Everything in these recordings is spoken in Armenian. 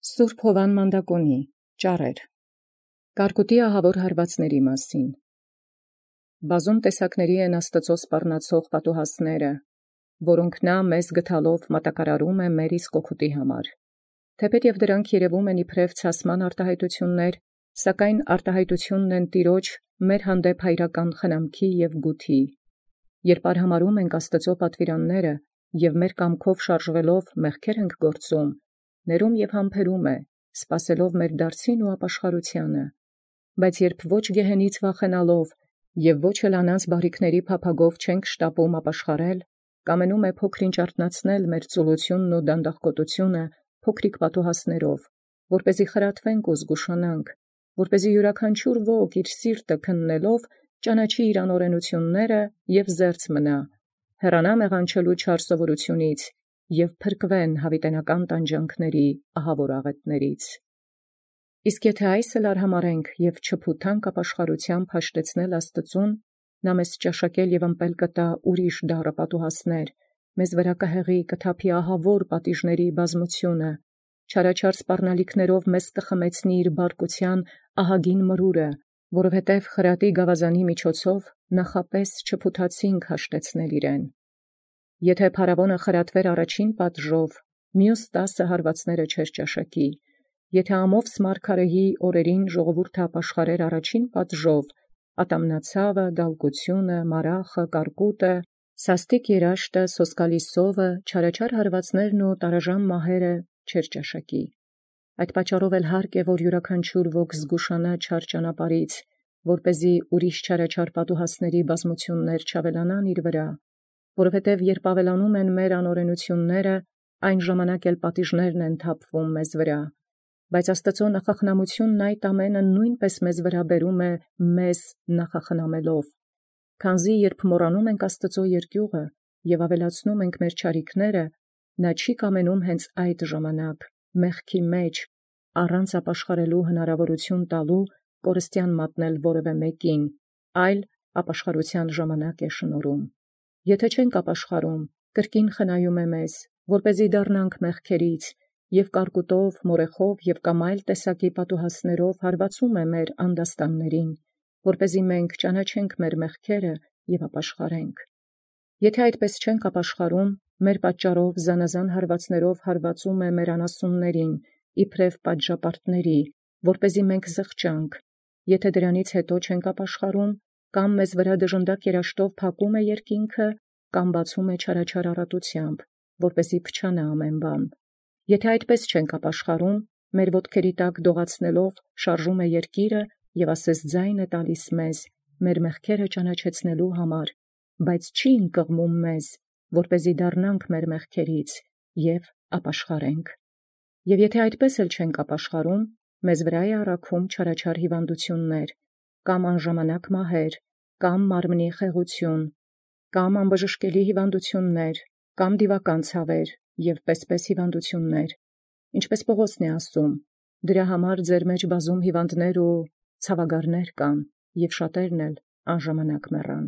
Սուրբ Հովան Մանդակոնի ճառեր Կարկուտի ահավոր հարվածների մասին։ Բազում տեսակների են Աստծո սպառնացող պատուհասները, որոնք մեզ գտալով մատակարարում է մեր իսկ օգուտի համար։ Թեպետ և դրանք երևում են իբրև ցասման արտահայտություններ, սակայն արտահայտությունն են Տիրոջ մեր հանդեպ հայրական խնամքի և գութի։ Երբ արհամարհում ենք Աստծո պատվիրանները և մեր կամքով շարժվելով մեղքեր ենք գործում, ներում և համբերում է, սպասելով մեր դարձին ու ապաշխարությանը։ Բայց երբ ոչ գեհենից վախենալով և ոչ էլ անանց բարիքների փափագով չենք շտապում ապաշխարել, կամենում է փոքրինչ արթնացնել մեր ծուլությունն ու դանդաղկոտությունը փոքրիկ պատուհասներով, որպեսզի խրատվենք ու զգուշանանք, որպեսզի յուրաքանչյուր ոք իր սիրտը քննելով ճանաչի իր անօրենությունները և զերծ մնա, հեռանա մեղանչելու չար սովորութենից և փրկվեն յաւիտենական տանջանքների ահավոր աղետներից։ Իսկ եթե այս էլ արհամարհենք և չփութանք ապաշխարութեամբ հաշտեցնել Աստծուն, մեզ ճաշակել և ըմպել կտա ուրիշ դառը պատուհասներ, մեզ վրա կհեղի կթափի ահավոր պատիժների բազմությունը, չարաչար սպառնալիքներով մեզ կխմեցնի իր բարկության ահագին մրուրը, որովհետև խրատի գաւազանի միջոցով նախապես չփութացինք հաշտեցնել իրեն։ Եթե փարավոնը խրատվեր առաջին պատժով, մյուս 10 հարվածները չէր ճաշակի. եթե ամովս մարգարեի օրերին ժողովուրդը ապաշխարեր առաջին պատժով, ատամնացաւը, դալկությունը, մարախը, կարկուտը, սաստիկ երաշտը, սոսկալի սովը, չարաչար հարվածներն ու տարաժան մահերը չէր ճաշակի։ Այդ պատճառով էլ հարկ է, որ յուրաքանչյուր ոք զգուշանա չար ճանապարհից, որպեսզի ուրիշ չարաչար պատուհասների բազմություններ չավելանան իր վրա, որովհետև երբ ավելանում են մեր անօրենությունները, այն ժամանակ էլ պատիժներն են թափվում մեզ վրա։ Բայց Աստծո նախախնամությունն այդ ամենը նույնպես մեզ վրա բերում է մեզ նախախնամելով, քանզի երբ մոռանում ենք Աստծո երկյուղը և ավելացնում ենք մեր չարիքները, նա չի կամենում հենց այդ ժամանակ մեղքի մեջ առանց ապաշխարելու հնարավորություն տալու կորստյան մատնել որևէ մեկին, այլ ապաշխարության ժամանակ է շնորհում։ Եթե չենք ապաշխարում, կրկին խնայում է մեզ, որպեսզի դառնանք մեղքերից, և կարկուտով, մորեխով և կամ այլ տեսակի պատուհասներով հարվածում է մեր անդաստաններին, որպեսզի մենք ճանաչենք մեր մեղքերը և ապաշխարենք։ Եթե այդպես չենք ապաշխարում, մեր պատճառով զանազան հարվածներով հարվածում է մեր անասուններին, իբրև պատժապարտների, որպեսզի մենք զղջանք։ Եթե դրանից հետո չենք ապաշխարում, կամ մեզ վրա դժնդակ երաշտով փակում է երկինքը, կամ բացում է չարաչար առատությամբ, որպեսզի փչանա ամեն բան։ Եթե այդպես չենք ապաշխարում, մեր ոտքերի տակ դողացնելով շարժում է երկիրը և ասես ձայն է տալիս մեզ, մեր մեղքերը ճանաչեցնելու համար, բայց չի ընկղմում մեզ, որպեսզի դառնանք մեր մեղքերից և ապաշխարենք։ Եվ եթե այդպես էլ չենք ապաշխարում, մեզ վրա է առաքում չարաչար հիվանդություններ, կամ անժամանակ մահեր, կամ մարմնի խեղություն, կամ անբժշկելի հիվանդություններ, կամ դիվական ցավեր և պես հիվանդություններ, ինչպես Պողոսն է ասում. «Դրա համար ձեր մեջ բազում հիվանդներ ու ցավագարներ կան, և շատերն էլ անժամանակ մեռան»։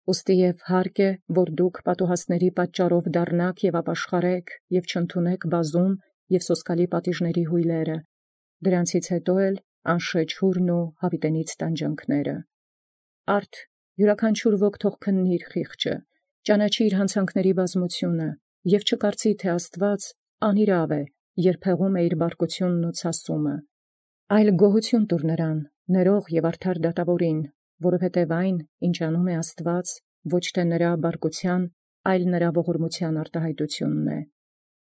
Ուստի և հարկ է, որ դուք պատուհասների պատճառով դառնաք և ապաշխարեք և չընդունեք բազում և սոսկալի պատիժների հույլերը, դրանցից հետո էլ անշեջ հուրն ու յաւիտենից տանջանքները։ Արդ յուրաքանչյուր ոք թող քննի իր խիղճը, ճանաչի իր հանցանքների բազմությունը և չկարծի, թե Աստուած անիրաւ է, երբ հեղում է իր բարկությունն ու ցասումը, այլ գոհություն տուր նրան, ներող և արդար դատաւորին, որովհետև այն, ինչ անում է Աստուած, ոչ թե նրա բարկության, այլ նրա ողորմության արտահայտությունն է։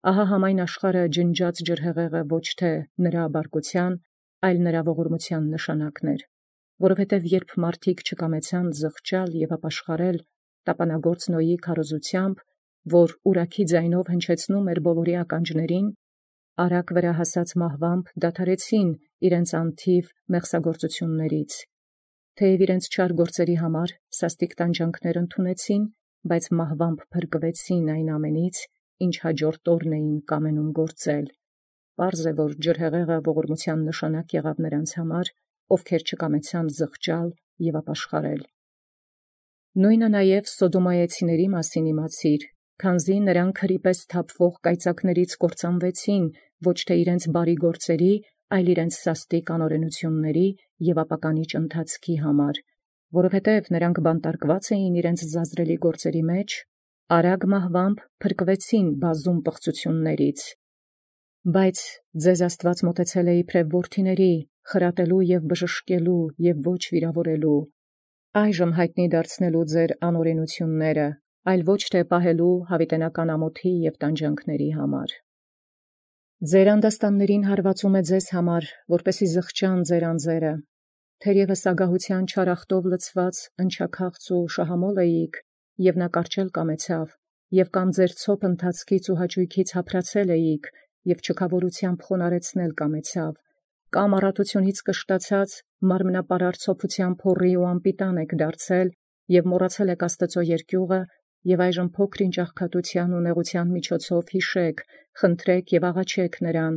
Ահա համայն աշխարհը ջնջած ջրհեղեղը ոչ թե նրա բարկության, այլ նրա ողորմության նշանակն էր, որովհետև երբ մարդիկ չկամեցան զղջալ և ապաշխարել տապանագործ Նոյի քարոզութեամբ, որ ուրաքի ձայնով հնչեցնում էր բոլորի ականջներին, արագ վրա հասած մահվամբ դադարեցին իրենց անթիվ մեղսագործություններից, թեև իրենց չար գործերի համար սաստիկ տանջանքներ ընդունեցին, բայց մահվամբ փրկվեցին այն ամենից, ինչ հաջորդ օրն էին կամենում գործել։ Պարզ է, որ ջրհեղեղը ողորմության նշանակ եղավ նրանց համար, ովքեր չկամեցան զղջալ և ապաշխարել։ Նույնը նաև Սոդոմայեցիների մասին իմացիր, քանզի նրանք հրի պես թափվող կայծակներից կործանվեցին, ոչ թե իրենց բարի գործերի, այլ իրենց սաստիկ անօրենությունների և ապականիչ ընթացքի համար, որովհետև նրանք բանտարկված էին իրենց զազրելի գործերի մեջ, արագ մահվամբ փրկվեցին բազում պղծություններից։ Բայց ձեզ Աստված մոտեցել է իբրև որդիների, խրատելու և բժշկելու և ոչ վիրավորելու, այժմ հայտնի դարձնելու ձեր անօրենությունները, այլ ոչ թե պահելու հավիտենական ամոթի և տանջանքների համար։ Ձեր անդաստաններին հարվածում է ձեզ համար, որպեսզի զղջան ձեր անձերը, թերևս ագահության չարախտով լցված ընչաքաղց ու շահամոլ էիք, և նա կառչել կամեցավ, և կամ ձեր ցոփ ընթացքից ու հաճույքից հափրացել էիք, և չքավորությամբ խոնարեցնել կամեցավ, կամ առատությունից կշտացած մարմնապարար ցոփությամբ փոռի ու անպիտան եք դարձել, և մոռացել եք Աստծո երկյուղը, և այժմ փոքր-ինչ աղքատության ու նեղության միջոցով հիշեք, խնդրեք և աղաչեք նրան,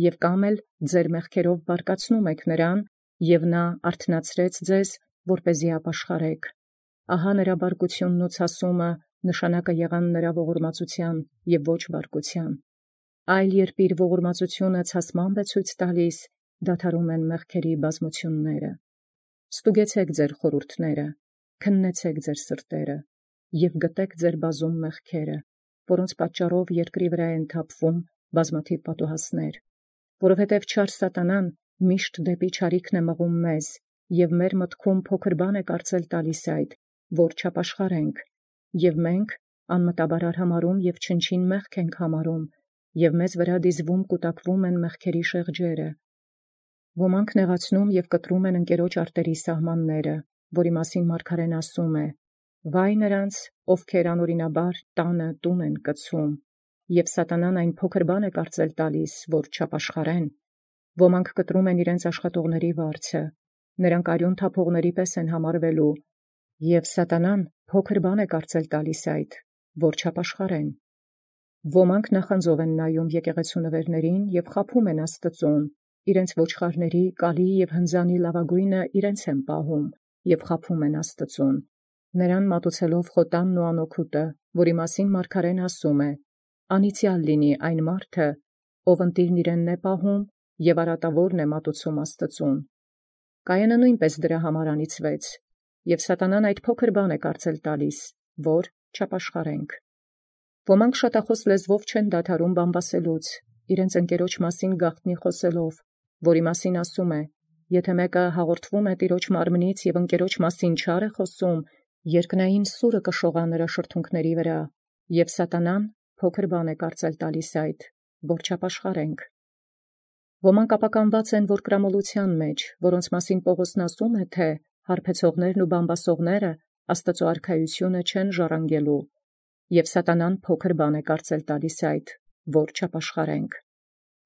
և կամ էլ ձեր մեղքերով բարկացնում եք նրան, և նա արթնացրեց ձեզ, որպեսզի ապաշխարեք։ Ահա նրա բարկությունն ու ցասումը նշանակը եղան նրա ողորմածության և ոչ բարկության։ Այլ երբ իր ողորմածությունը ցասմամբ է ցույց տալիս, դադարում են մեղքերի բազմությունները։ Ստուգեցեք ձեր խորհուրդները, քննեցեք ձեր սրտերը, և գտեք ձեր բազում մեղքերը, որոնց պատճառով երկրի վրա են թափվում բազմաթիվ պատուհասներ, որովհետև չար սատանան միշտ դեպի չարիքն է մղում մեզ, և մեր մտքում փոքր բան է կարծել տալիս այդ, որ չապաշխարենք, և մենք անմտաբար արհամարհում և չնչին մեղք ենք համարում, և մեզ վրա դիզվում կուտակվում են մեղքերի շեղջերը։ Ոմանք նեղացնում և կտրում են ընկերոջ արտերի սահմանները, որի մասին մարգարեն ասում է. «Վայ նրանց, ովքեր անօրինաբար տանը տուն են կցում», և սատանան այն փոքր բան է կարծել տալիս, որ չապաշխարեն։ Ոմանք կտրում են իրենց աշխատողների վարձը, նրանք արյուն թափողների պես են համարվելու, և սատանան փոքր բան է կարծել տալիս այդ, որ չապաշխարեն։ Ոմանք նախանձով են նայում եկեղեցու նվերներին և խաբում են Աստծուն, իրենց ոչխարների, կալի և հնձանի լավագույնը իրենց են պահում և խաբում են Աստծուն, նրան մատուցելով խոտանն ու անօգուտը, որի մասին մարգարեն ասում է. «Անիծյալ լինի այն մարդը, ով ընտիրն իրենն է պահում և արատավորն է մատուցում Աստծուն»։ Կայենը նույնպես դրա համար անիծվեց, և սատանան այդ փոքր բան է կարծել տալիս, որ չապաշխարենք։ Ոմանք շատախոս լեզվով չեն դադարում բամբասելուց, իրենց ընկերոջ մասին գաղտնի խոսելով, որի մասին ասում է. «Եթե մեկը հաղորդվում է տիրոջ մարմնից և ընկերոջ մասին չար է խոսում, երկնային սուրը կշողա նրա շրթունքների վրա», և սատանան փոքր բան է կարծել տալիս այդ, որ չապաշխարենք։ Ոմանք ապականված են որդկրամոլության մեջ, որոնց մասին Պողոսն ասում է, թե հարբեցողներն ու բամբասողները Աստծո արքայությունը չեն ժառանգելու, և սատանան փոքր բան է կարծել տալիս այդ, որ չապաշխարենք։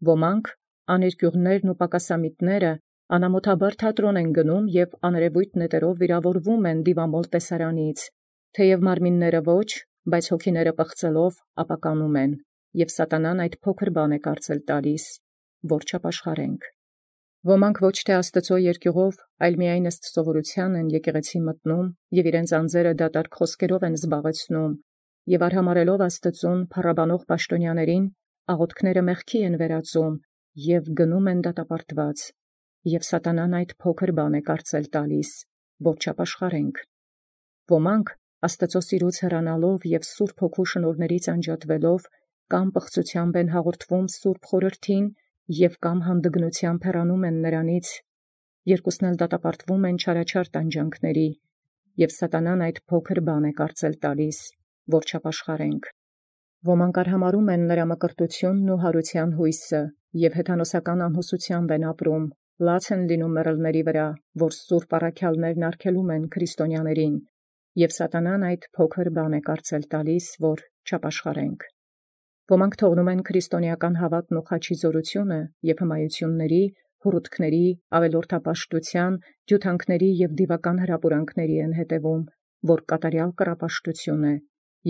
Ոմանք աներկյուղներն ու պակասամիտները անամոթաբար թատրոն են գնում և աներևույթ նետերով վիրավորվում են դիվամոլ տեսարանից, թեև մարմինները ոչ, բայց հոգիները պղծելով ապականում են, և սատանան այդ փոքր բան է կարծել տալիս, որ չապաշխարենք։ Ոմանք ոչ թե Աստծո երկյուղով, այլ միայն ըստ սովորության են եկեղեցի մտնում և իրենց անձերը դատարկ խոսքերով են զբաղեցնում, և արհամարհելով Աստծուն փառաբանող պաշտոնյաներին, աղոթքները մեղքի են վերածում և գնում են դատապարտված, և սատանան այդ փոքր բան է կարծել տալիս, որ չապաշխարենք։ Ոմանք Աստծո սիրուց հեռանալով և Սուրբ Հոգու շնորհներից անջատվելով, կամ պղծությամբ են հաղորդվում Սուրբ Խորհրդին և կամ հանդգնությամբ հեռանում են նրանից, երկուսն էլ դատապարտվում են չարաչար տանջանքների, և սատանան այդ փոքր բան է կարծել տալիս, որ չապաշխարենք։ Ոմանք արհամարհում են նրա մկրտությունն ու հարության հույսը, և հեթանոսական անհուսությամբ են ապրում, լաց են լինում մեռելների վրա, որ սուրբ առաքյալներն արգելում են քրիստոնյաներին, և սատանան այդ փոքր բան է կարծել տալիս, որ չապաշխարենք։ Ոմանք թողնում են քրիստոնեական հավատն ու խաչի զորությունը և հմայությունների, հուռութքների, ավելորդապաշտության, ջութանքների և դիվական հրապուրանքների են հետևում, որ կատարյալ կռապաշտություն է,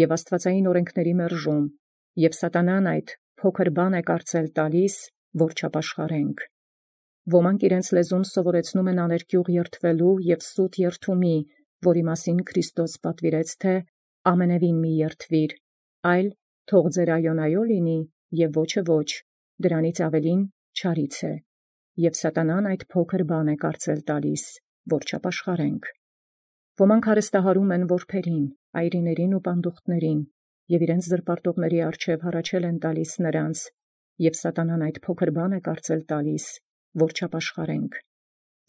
և աստվածային օրենքների մերժում, և սատանան այդ փոքր բան է կարծել տալիս, որ չապաշխարենք։ Ոմանք իրենց լեզուն սովորեցնում են աներկյուղ երդվելու և սուտ երդումի, որի մասին Քրիստոս պատվիրեց, թե ամենևին մի երդվիր, այլ թող ձեր այոն այո լինի և ոչը ոչ, դրանից ավելին չարից է, եւ սատանան այդ փոքր բան է կարծել տալիս, որ չապաշխարենք։ Ոմանք հարստահարում են որբերին, այրիներին ու պանդուխտներին, եւ իրենց զրպարտողների առջև հառաչել են տալիս նրանց, եւ սատանան այդ փոքր բան է կարծել տալիս, որ չապաշխարենք։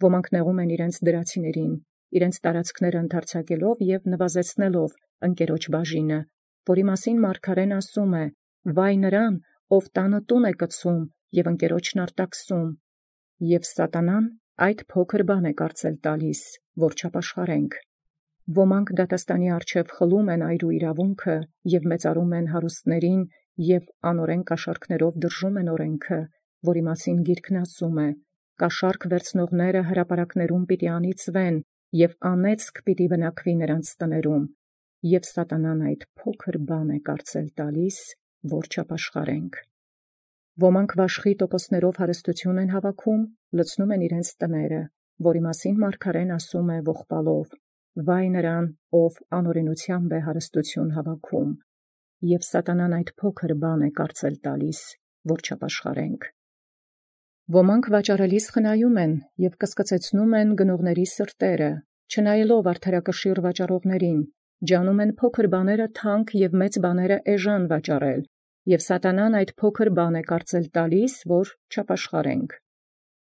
Ոմանք նեղում են իրենց դրացիներին, իրենց տարածքները ընդարձակելով եւ նվազեցնելով ընկերոջ բաժինը, որի մասին մարգարեն ասում է. «Վայ նրան, ով տանը տուն է կցում եւ ընկերոջն արտաքսում», եւ սատանան այդ փոքր բան է կարծել տալիս, որ չապաշխարենք։ Ոմանք դատաստանի առջև խլում են այր ու իրավունքը եւ մեծարում են հարուստներին եւ անօրեն կաշառքներով դրժում են օրենքը, որի մասին գիրքն ասում է. «Կաշառք վերցնողները հրապարակներում պիտի անիծվեն եւ անեծք պիտի բնակվի նրանց տներում», եւ սատանան այդ փոքր բան է կարծել տալիս, որ չապաշխարենք։ Ոմանք վաշխի տոկոսներով հարստություն են հավաքում, լցնում են իրենց տները, որի մասին մարգարեն ասում է ողբալով. «Վայ նրան, ով անօրենությամբ է հարստություն հավաքում», եւ սատանան այդ փոքր բան է կարծել տալիս, որ չապաշխարենք։ Ոմանք վաճառելիս խնայում են եւ կսկծեցնում են գնողների սրտերը, չնայելով արդարակշիռ վաճառողներին, ջանում են փոքր բաները թանկ եւ մեծ բաները էժան վաճառել, եւ սատանան այդ փոքր բան է կարծել տալիս, որ չապաշխարենք։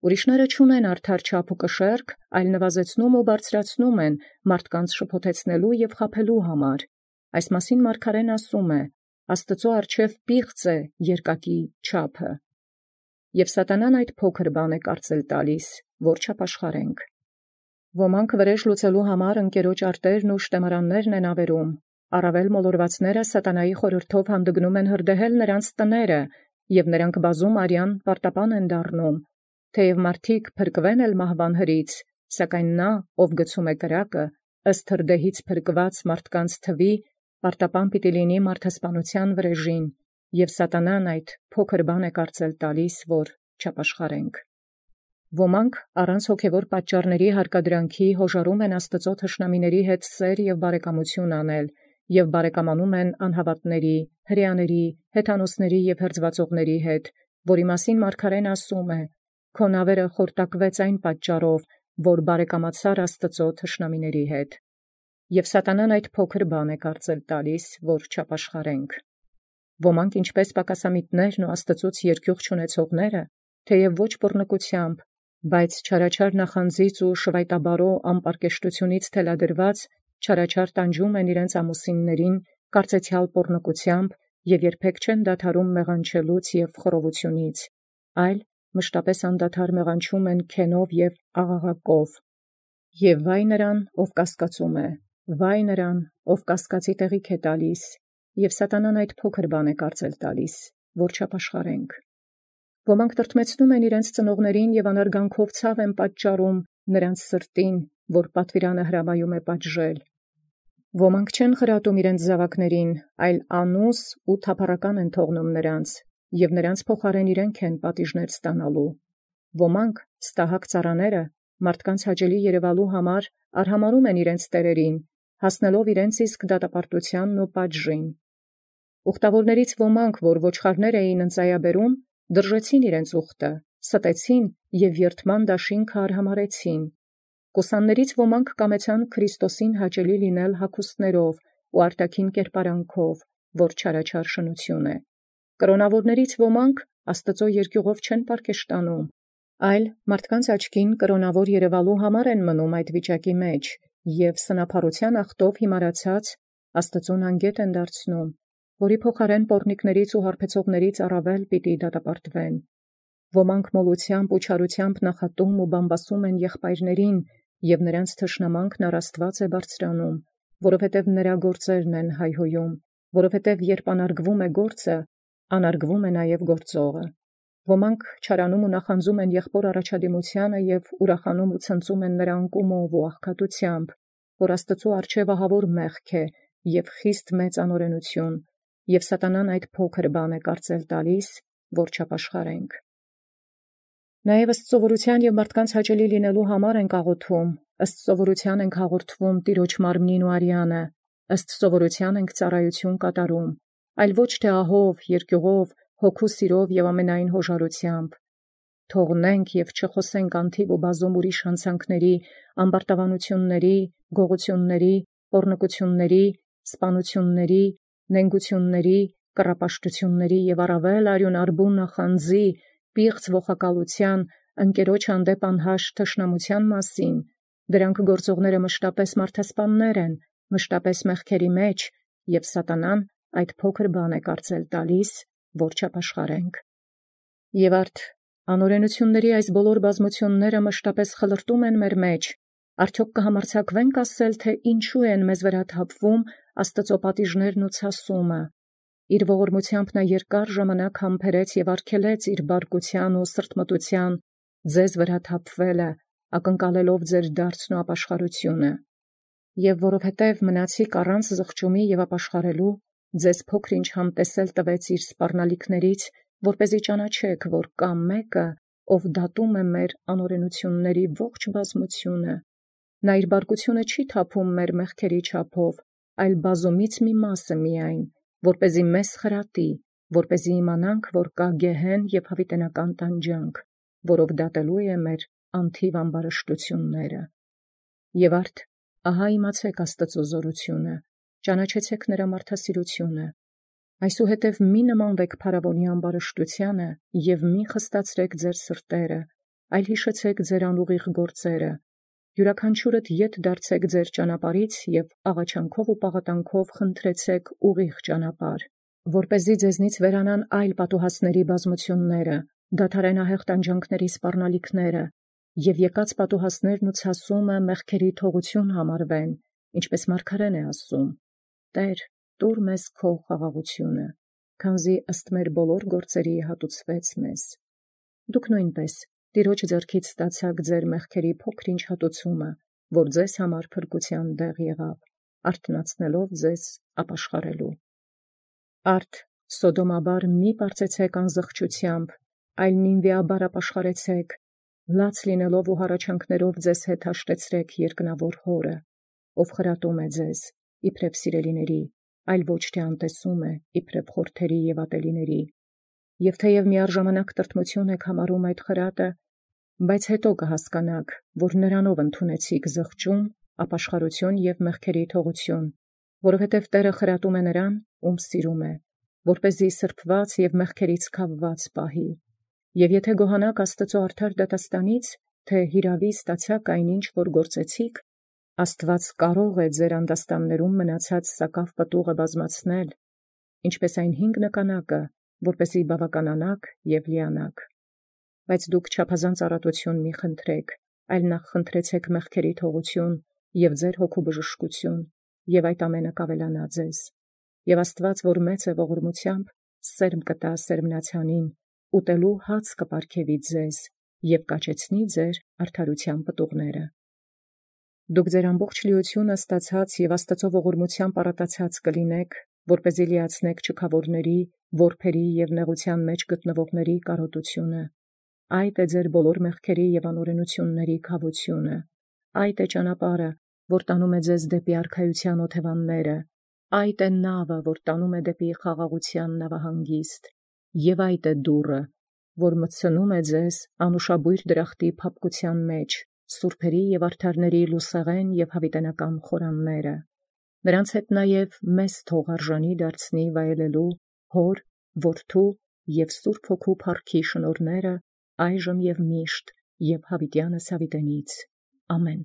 Ուրիշները չունեն արդար չափ ու կշեռք, այլ նվազեցնում ու բարձրացնում են մարդկանց շփոթեցնելու եւ խաբելու համար։ Այս մասին մարգարեն ասում է. «Աստծո առջև պիղծ է երկակի չափը», եւ սատանան այդ փոքր բան է կարծել տալիս, որ չապաշխարենք։ Ոմանք վրեժ լուծելու համար ընկերոջ արտերն ու շտեմարաններն են ավերում, առավել մոլորվածները սատանայի խորհրդով հանդգնում են հրդեհել նրանց տները, եւ նրանք բազում արյան պարտապան են դառնում, թեև մարդիկ փրկվեն էլ մահվան հրից, սակայն նա, ով գցում է կրակը, ըստ հրդեհից փրկված մարդկանց թվի, պարտապան պիտի լինի մարդասպանության վրեժին, եւ սատանան այդ փոքր բան է կարծել տալիս, որ չապաշխարենք։ Ոմանք առանց հոգևոր պատճառների հարկադրանքի հոժարում են Աստծո թշնամիների հետ սեր եւ բարեկամություն անել, եւ բարեկամանում են անհավատների, հրեաների, հեթանոսների եւ հրձվածողների հետ, որի մասին մարգարեն ասում է. «Քո նավերը խորտակվեց այն պատճառով, որ բարեկամացար Աստծո թշնամիների հետ», եւ սատանան այդ փոքր բան է կարծել տալիս, որ չապաշխարենք։ Ոմանք ինչպես պակասամիտներն ու Աստծուց երկյուղ չունեցողները, թեև ոչ բռնկությամբ, բայց չարաչար նախանձից ու շվայտաբարո ամպարկեշտությունից թելադրված, չարաչար տանջում են իրենց ամուսիններին կարծեցյալ պոռնկությամբ եւ երբեք չեն դադարում մեղանչելուց եւ խռովությունից, այլ մշտապես անդադար մեղանչում են քենով եւ աղաղակով։ Եվ վայ նրան, ով կասկածում է, վայ նրան, ով կասկածի տեղիք է տալիս, եւ սատանան այդ փոքր բան է կարծել տալիս, որ չապաշխարենք։ Ոմանք տրտմեցնում են իրենց ծնողներին եւ անարգանքով ցավ են պատճառում նրանց սրտին, որ պատվիրանը հրամայում է պատժել։ Ոմանք չեն խրատում իրենց զավակներին, այլ անուս ու թափառական են թողնում նրանց, եւ նրանց փոխարեն իրենք են պատիժներ ստանալու։ Ոմանք ստահակ ծառաները մարդկանց հաճելի երևալու համար արհամարում են իրենց տերերին, հասնելով իրենց իսկ դատապարտությանն ու պատժին։ Ուխտավորներից ոմանք, որ ոչխարներ էին ընծայաբերում, դրժեցին իրենց ուխտը, ստեցին եւ երթման դաշինքը արհամարեցին։ Կուսաններից ոմանք կամեցան Քրիստոսին հաճելի լինել հագուստներով ու արտաքին կերպարանքով, որ չարաչար շնություն է։ Կրոնավորներից ոմանք Աստծո երկյուղով չեն պարկեշտանում, այլ մարդկանց աչքին կրոնավոր երևալու համար են մնում այդ վիճակի մեջ եւ սնափառության ախտով հիմարացած Աստծուն անգետ են դարձնում, որի փոխարեն պոռնիկներից ու հարբեցողներից առավել պիտի դատապարտվեն։ Ոմանք մոլությամբ ու չարությամբ նախատում ու բամբասում են եղբայրներին, եւ նրանց թշնամանքն առ Աստված է բարձրանում, որովհետև նրա գործերն են հայհոյում, որովհետև երբ անարգվում է գործը, անարգվում է նաև գործողը։ Ոմանք չարանում ու նախանձում են եղբոր առաջադիմությանը եւ ուրախանում ու ցնծում են նրա անկումով ու աղքատությամբ, որ Աստծո առջև ահավոր մեղք է եւ խիստ մեծ անօրենություն, եւ սատանան այդ փոքր բան է կարծել տալիս, որ չապաշխարենք։ Նաև ըստ սովորության եւ մարդկանց հաճելի լինելու համար ենք աղոթում, ըստ սովորության ենք հաղորդվում Տիրոջ մարմնին ու արյանը, ըստ սովորության ենք ծառայություն կատարում, այլ ոչ թե ահով, երկյուղով, հոգու սիրով և ամենայն հոժարությամբ, թողնենք և չխոսենք անթիվ ու բազում ուրիշ հանցանքների, ամբարտավանությունների, գողությունների, պոռնկությունների, սպանությունների, նենգությունների, կռապաշտությունների և առավել արյունարբու նախանձի, պիղծ ողակալության, ընկերոջ հանդեպ անհաշտ թշնամության մասին, դրանք գործողները մշտապես մարդասպաններ են, մշտապես մեղքերի մեջ, և սատանան այդ փոքր բան է կարծել տալիս, որ չապաշխարենք։ Եվ արդ անօրենությունների այս բոլոր բազմությունները մշտապես խլրտում են մեր մեջ, արդյոք կհամարձակվենք ասել, թե ինչու են մեզ վրա թափվում Աստծո պատիժներն ու ցասումը։ Իր ողորմությամբ նա երկար ժամանակ համբերեց և արգելեց իր բարկության ու սրտմտության ձեզ վրա թափվելը, ակնկալելով ձեր դարձն ու ապաշխարությունը։ Եվ որովհետև մնացիք առանց զղջումի և ապաշխարելու, ձեզ փոքր-ինչ համտեսել տվեց իր սպառնալիքներից, որպեսզի ճանաչեք, որ կա մեկը, ով դատում է մեր անօրենությունների ողջ բազմությունը։ Նա իր բարկությունը չի թափում մեր մեղքերի չափով, այլ բազումից մի մասը միայն, որպեսզի մեզ խրատի, որպեսզի իմանանք, որ կա գեհեն և հավիտենական տանջանք, որով դատելու է մեր անթիվ ամբարշտությունները։ Եվ արդ ահա իմացեք Աստծո զորությունը, ճանաչեցեք նրա մարդասիրությունը։ Այսուհետև մի նմանվեք փարավոնի ամբարշտությանը և մի խստացրեք ձեր սրտերը, այլ հիշեցեք ձեր անուղիղ գործերը, յուրաքանչյուրդ ետ դարձեք ձեր ճանապարհից և աղաչանքով ու պաղատանքով խնդրեցեք ուղիղ ճանապարհ, որպեսզի ձեզնից վերանան այլ պատուհասների բազմությունները, դադարեն ահեղ տանջանքների սպառնալիքները, և եկած պատուհասներն ու ցասումը մեղքերի թողություն համարվեն, ինչպես մարգարեն է ասում. «Տեր, տուր մեզ քո խաղաղությունը, քանզի ըստ մեր բոլոր գործերի հատուցվեց մեզ»։ Դուք նույնպես Տիրոջ ձեռքից ստացաք ձեր մեղքերի փոքր-ինչ հատուցումը, որ ձեզ համար փրկության դեղ եղավ, արթնացնելով ձեզ ապաշխարելու։ Արդ սոդոմաբար մի պարծեցեք անզղջությամբ, այլ նինվեաբար ապաշխարեցեք, լաց լինելով ու հառաչանքներով ձեզ հետ հաշտեցրեք երկնավոր Հորը, ով խրատում է ձեզ, իբրև սիրելիների, այլ ոչ թե անտեսում է, իբրև խորթերի և ատելիների։ Եվ թեև միառժամանակ տրտմություն եք համարում այդ խրատը, բայց հետո կհասկանաք, որ նրանով ընդունեցիք զղջում, ապաշխարություն և մեղքերի թողություն, որովհետև Տերը խրատում է նրան, ում սիրում է, որպեսզի սրբված և մեղքերից քավված պահի։ Եվ եթե գոհանաք Աստծո արդար դատաստանից, թե հիրավի ստացաք այնինչ, որ գործեցիք, Աստված կարող է ձեր անդաստաններում մնացած սակավ պտուղը բազմացնել, ինչպես այն 5 նկանակը, որպեսզի բավականանաք և լիանաք։ Բայց դուք չափազանց առատություն մի խնդրեք, այլ նախ խնդրեցեք մեղքերի թողություն և ձեր հոգու բժշկություն, և այդ ամենը կավելանա ձեզ։ Եվ Աստված, որ մեծ է ողորմությամբ, սերմ կտա սերմնացյանին, ուտելու հաց կպարգևի ձեզ և կաճեցնի ձեր արդարության պտուղները։ Դուք ձեր ամբողջ լիությունը ստացած և Աստծո ողորմությամբ առատացած կլինեք, որպեսզի լիացնեք չքավորների, որբերի և նեղության մեջ գտնվողների կարոտությունը։ Այդ է ձեր բոլոր մեղքերի և անօրենությունների քավությունը։ Այդ է ճանապարհը, որ տանում է ձեզ դեպի արքայության օթևանները։ Այդ է նավը, որ տանում է դեպի խաղաղության նավահանգիստ։ Եվ այդ է դուռը, որ մտցնում է ձեզ անուշաբույր դրախտի փափկության մեջ, սուրբերի և արդարների լուսեղեն և հավիտենական խորանները։ Նրանց հետ նաև մեզ թող արժանի դարձնի վայելելու Հոր, Որդու և Սուրբ Հոգու փառքի շնորհները այժմ և միշտ և հավիտյանս հավիտենից։ Ամեն։